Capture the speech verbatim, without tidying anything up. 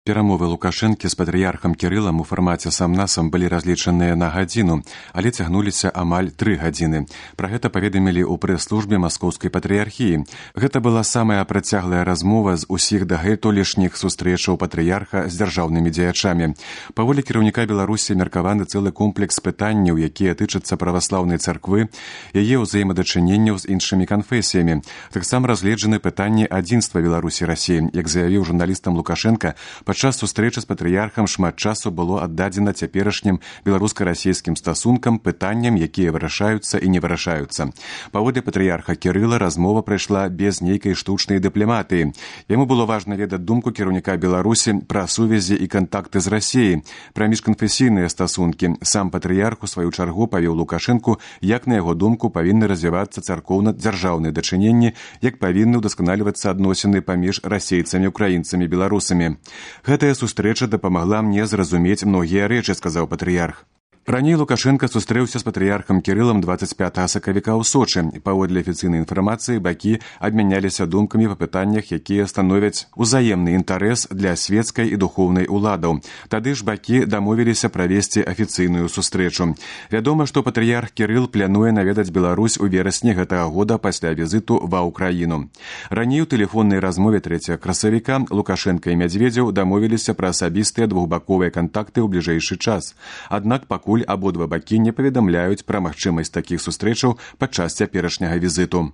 Перамовы Лукашэнкі з патрыярхам Кірылам у фармаце сам-насам былі разлічаныя на гадзіну, але цягнуліся амаль тры гадзіны. Пра гэта паведамілі ў прэс-службе маскоўскай патрыярхіі. Гэта была самая працяглая размова з усіх дагэтуль лішніх сустрэчаў патрыярха з дзяржаўнымі дзеячамі. Паволі кіраўніка Беларусі меркаваны цэлы комплекс пытанняў, якія тычацца праваслаўнай царквы, яе ўзаемадачыненняў з іншымі канфесіямі. Таксама разгледжаны пытанні адзінства Беларусі і Расіі. Як заявіў журналістам Лукашенка, падчас сустрэчы з патрыярхам шмат часу было аддадзена цяперашнім беларуска-расійскім стасункам, пытанням, якія вырашаюцца і не вырашаюцца. Паводле патрыярха Кірыла размова прайшла без нейкай штучнай дыпламатыі. Яму было важна ведаць думку кіраўніка Беларусі пра сувязі і кантакты з Расіяй, пра міжканфесійныя стасункі. Сам патрыярх у сваю чаргу павёў Лукашэнку, як на яго думку павінны развівацца царкоўна-дзяржаўныя дачыненні, як павінны ўдасканалівацца адносіны паміж расейцамі, украінцамі, беларусамі. Гэтая сустрэча дапамагла мне зразумець многія рэчы, сказаў патрыярх. Раней Лукашенка сустрэўся з патрыярхам Кірылам дваццаць пятага сакавіка ў Сочы. Паводле афіцыйнай інфармацыі, бакі абмяняліся думкамі па пытаннях, якія становяць узаемны інтарэс для свецкай і духоўнай уладаў. Тады ж бакі дамовіліся правесці афіцыйную сустрэчу. Вядома, што патрыярх Кірыл плануе наведаць Беларусь у верасні гэтага года пасля візіту ва ўкраіну. Раней у тэлефоннай размове трэцяга красавіка Лукашенка і Мядзведзеў дамовіліся пра асабістыя двухбаковыя кантакты ў бліжэйшы час. Аднак пакуль абодва бакі не паведамляюць пра магчымасць такіх сустрэчаў падчас цяперашняга візіту.